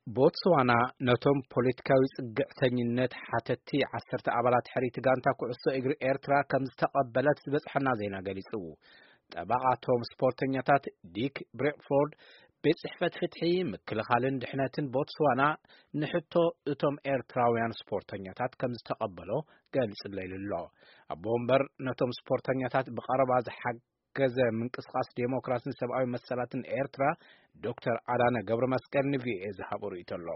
ቦትስዋና ነቶም ፖለቲካዊ ጽግዕተኝነት ሓተቲ ዓሰርተ ኣባላት ሕሪት ጋንታ ኩዕሶ እግሪ ኤርትራ ከም ዝተቐበለት ዝበጽሐና ዜና ገሊጹ። ጠበቓ እቶም ስፖርተኛታት ዲክ ብሬክፎርድ፣ ቤት ጽሕፈት ፍትሒ፣ ምክልኻልን ድሕነትን ቦትስዋና ንሕቶ እቶም ኤርትራውያን ስፖርተኛታት ከም ዝተቐበሎ ገሊጹለይ ኣሎ። ኣቦ ወንበር ነቶም ስፖርተኛታት ብቐረባ ዝሓገዘ ምንቅስቓስ ዴሞክራስን ሰብኣዊ መሰላትን ኤርትራ ዶክተር ኣዳነ ገብረ መስቀል ንቪኦኤ ዝሃቦ ርእይቶ ኣሎ።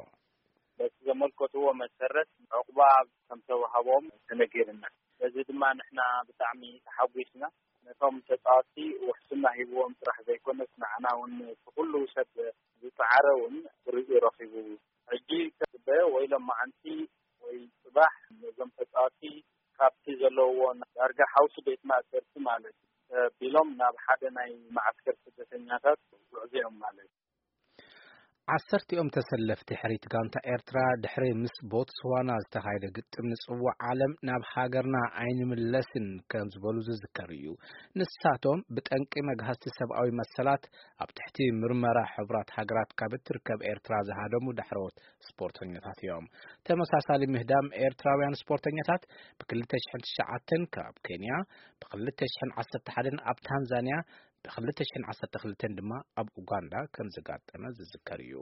በቲ ዘመልከትዎ መሰረት ዕቑባ ከም ተዋህቦም ተነጊርና። በዚ ድማ ንሕና ብጣዕሚ ተሓጒስና። ነቶም ተጻወትቲ ውሕስና ሂብዎም ጥራሕ ዘይኮነስ፣ ንዓና እውን እቲ ኩሉ ሰብ ዝጸዓረ እውን ርእዩ ረኺቡ። ሕጂ ከጽበ ወይ ሎማዓንቲ ወይ ጽባሕ ነዞም ተጻወትቲ ካብቲ ዘለውዎ ዳርጋ ሓውሲ ቤት ማእሰርቲ ማለት እዩ፣ ተቢሎም ናብ ሓደ ናይ መዓስከር ስደተኛታት ጉዕዞ እዮም ማለት እዩ። ዓሰርቲኦም ተሰለፍቲ ሕሪት ጋንታ ኤርትራ ድሕሪ ምስ ቦትስዋና ዝተኻየደ ግጥም ንጽዋዕ ዓለም ናብ ሃገርና ኣይንምለስን ከም ዝበሉ ዝዝከር እዩ። ንሳቶም ብጠንቂ መግሃስቲ ሰብኣዊ መሰላት ኣብ ትሕቲ ምርመራ ሕቡራት ሃገራት ካብ እትርከብ ኤርትራ ዝሃደሙ ዳሕረዎት ስፖርተኛታት እዮም። ተመሳሳሊ ምህዳም ኤርትራውያን ስፖርተኛታት ብ ክልተ ሽሕን ትሽዓተን ካብ ኬንያ፣ ብ ክልተ ሽሕን ዓሰርተ ሓደን ኣብ ታንዛንያ፣ ብ ክልተ ሽሕን ዓሰርተ ክልተን ድማ ኣብ ኡጋንዳ ከም ዘጋጠመ ዝዝከር እዩ።